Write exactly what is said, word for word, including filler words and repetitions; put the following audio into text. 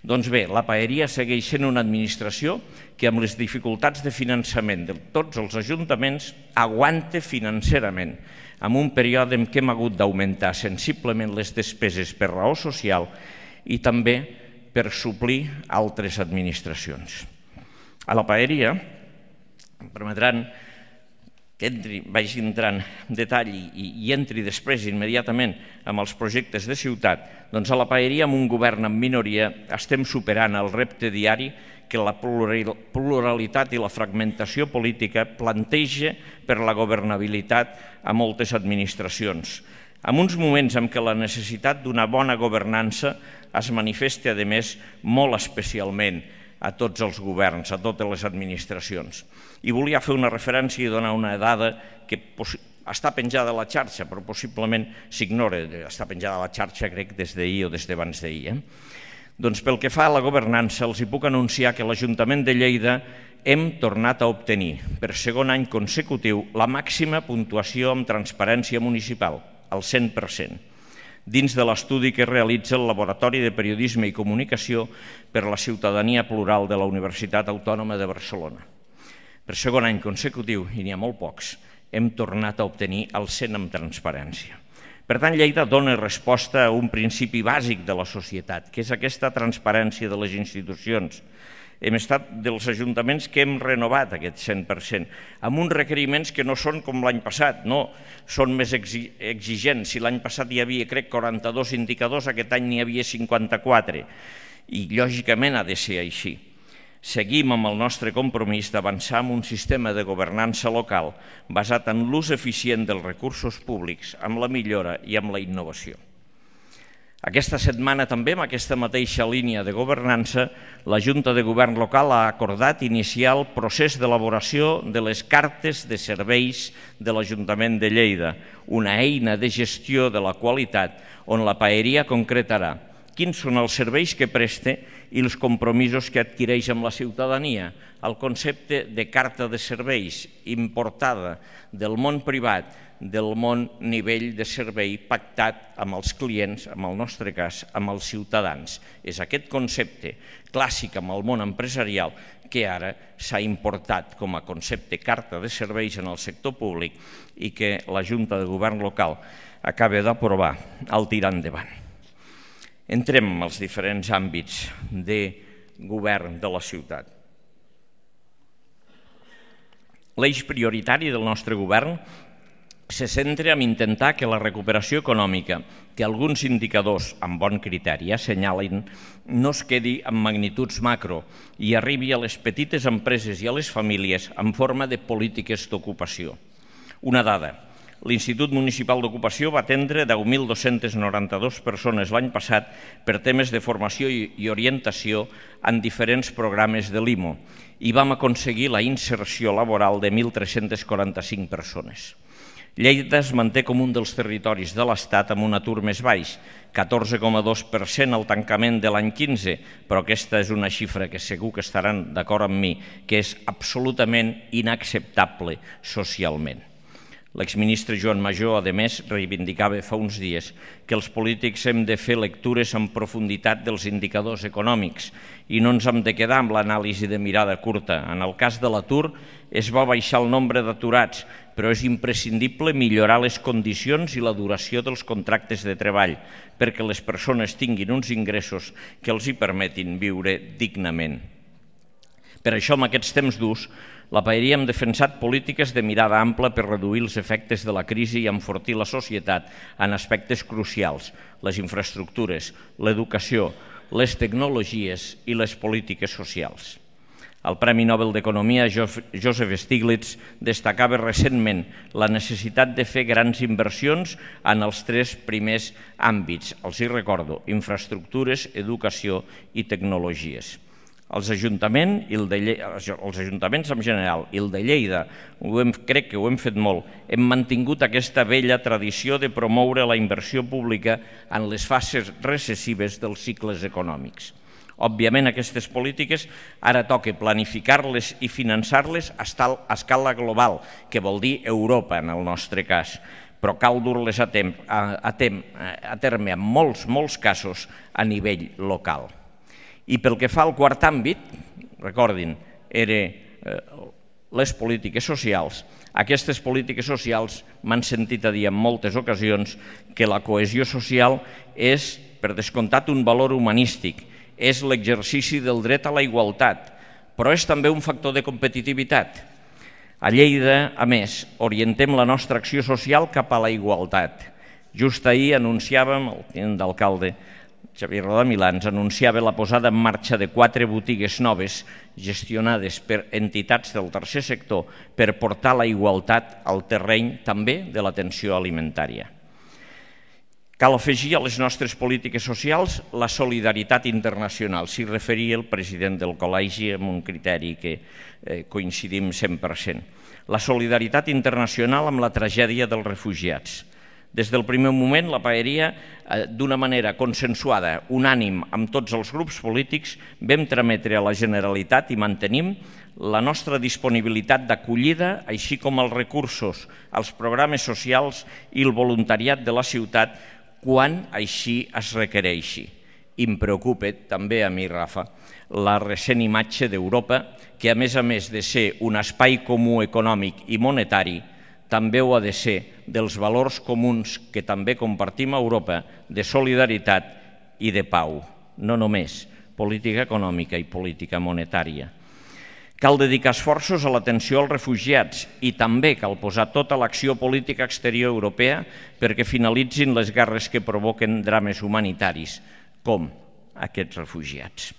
Doncs bé, la Paeria segueix sent una administració que amb les dificultats de finançament de tots els ajuntaments aguanta financerament, en un període en què hem hagut d'augmentar sensiblement les despeses per raó social i també per suplir altres administracions. A la Paeria, em permetran que entri, vagi entrant en detall i, i entri després immediatament amb els projectes de ciutat, doncs a la Paeria, amb un govern en minoria, estem superant el repte diari que la pluralitat i la fragmentació política planteja per la governabilitat a moltes administracions. En uns moments en què la necessitat d'una bona governança es manifesta, a més, molt especialment a tots els governs, a totes les administracions. I volia fer una referència i donar una dada que està penjada a la xarxa, però possiblement s'ignora. Està penjada a la xarxa, crec, des d'ahir o des d'abans d'ahir. Doncs pel que fa a la governança, els hi puc anunciar que l'Ajuntament de Lleida hem tornat a obtenir, per segon any consecutiu, la màxima puntuació en transparència municipal, el cent per cent. Dins de l'estudi que realitza el Laboratori de Periodisme i Comunicació per la Ciutadania Plural de la Universitat Autònoma de Barcelona. Per segon any consecutiu, i n'hi ha molt pocs, hem tornat a obtenir el cent en transparència. Per tant, Lleida dona resposta a un principi bàsic de la societat, que és aquesta transparència de les institucions. Hem estat dels ajuntaments que hem renovat aquest cent per cent, amb uns requeriments que no són com l'any passat, no, són més exigents. Si l'any passat hi havia, crec, quaranta-dos indicadors, aquest any n'hi havia cinquanta-quatre, i lògicament ha de ser així. Seguim amb el nostre compromís d'avançar en un sistema de governança local basat en l'ús eficient dels recursos públics, amb la millora i amb la innovació. Aquesta setmana també, amb aquesta mateixa línia de governança, la Junta de Govern Local ha acordat iniciar el procés d'elaboració de les cartes de serveis de l'Ajuntament de Lleida, una eina de gestió de la qualitat on la Paeria concretarà quins són els serveis que presta i els compromisos que adquireix amb la ciutadania. El concepte de carta de serveis importada del món privat, del món nivell de servei pactat amb els clients, en el nostre cas, amb els ciutadans. És aquest concepte clàssic amb el món empresarial que ara s'ha importat com a concepte carta de serveis en el sector públic i que la Junta de Govern Local acaba d'aprovar al tirar endavant. Entrem en els diferents àmbits de govern de la ciutat. L'eix prioritari del nostre govern se centra en intentar que la recuperació econòmica, que alguns indicadors amb bon criteri assenyalen, no es quedi en magnituds macro i arribi a les petites empreses i a les famílies en forma de polítiques d'ocupació. Una dada: l'Institut Municipal d'Ocupació va atendre deu mil dos-centes noranta-dues persones l'any passat per temes de formació i orientació en diferents programes de l'I M O i vam aconseguir la inserció laboral de mil tres-centes quaranta-cinc persones. Lleida es manté com un dels territoris de l'Estat amb un atur més baix, catorze coma dos per cent al tancament de l'any quinze, però aquesta és una xifra que segur que estaran d'acord amb mi, que és absolutament inacceptable socialment. L'exministre Joan Majó, a més, reivindicava fa uns dies que els polítics hem de fer lectures en profunditat dels indicadors econòmics i no ens hem de quedar amb l'anàlisi de mirada curta. En el cas de l'atur, es va baixar el nombre d'aturats, però és imprescindible millorar les condicions i la duració dels contractes de treball perquè les persones tinguin uns ingressos que els hi permetin viure dignament. Per això, en aquests temps durs, la Paeria hem defensat polítiques de mirada ampla per reduir els efectes de la crisi i enfortir la societat en aspectes crucials: les infraestructures, l'educació, les tecnologies i les polítiques socials. El Premi Nobel d'Economia Joseph Stiglitz destacava recentment la necessitat de fer grans inversions en els tres primers àmbits. Els hi recordo: infraestructures, educació i tecnologies. Els ajuntaments, i el de Lleida, els ajuntaments en general i el de Lleida, ho hem, crec que ho hem fet molt, hem mantingut aquesta vella tradició de promoure la inversió pública en les fases recessives dels cicles econòmics. Òbviament, aquestes polítiques ara toca planificar-les i finançar-les a escala global, que vol dir Europa en el nostre cas, però cal dur-les a, a, a terme en molts, molts casos a nivell local. I pel que fa al quart àmbit, recordin, eren les polítiques socials. Aquestes polítiques socials m'han sentit a dir en moltes ocasions que la cohesió social és, per descomptat, un valor humanístic, és l'exercici del dret a la igualtat, però és també un factor de competitivitat. A Lleida, a més, orientem la nostra acció social cap a la igualtat. Just ahir anunciàvem, el tinent d'alcalde Xavier Rodamilà ens anunciava la posada en marxa de quatre botigues noves gestionades per entitats del tercer sector per portar la igualtat al terreny també de l'atenció alimentària. Cal afegir a les nostres polítiques socials la solidaritat internacional. S'hi referia el president del col·legi amb un criteri que coincidim cent per cent. La solidaritat internacional amb la tragèdia dels refugiats. Des del primer moment, la paeria, d'una manera consensuada, unànim amb tots els grups polítics, vam trametre a la Generalitat i mantenim la nostra disponibilitat d'acollida, així com els recursos, els programes socials i el voluntariat de la ciutat quan així es requereixi. I em preocupa també a mi, Rafa, la recent imatge d'Europa, que a més a més de ser un espai comú econòmic i monetari, també ho ha de ser dels valors comuns que també compartim a Europa de solidaritat i de pau, no només política econòmica i política monetària. Cal dedicar esforços a l'atenció als refugiats i també cal posar tota l'acció política exterior europea perquè finalitzin les guerres que provoquen drames humanitaris, com aquests refugiats.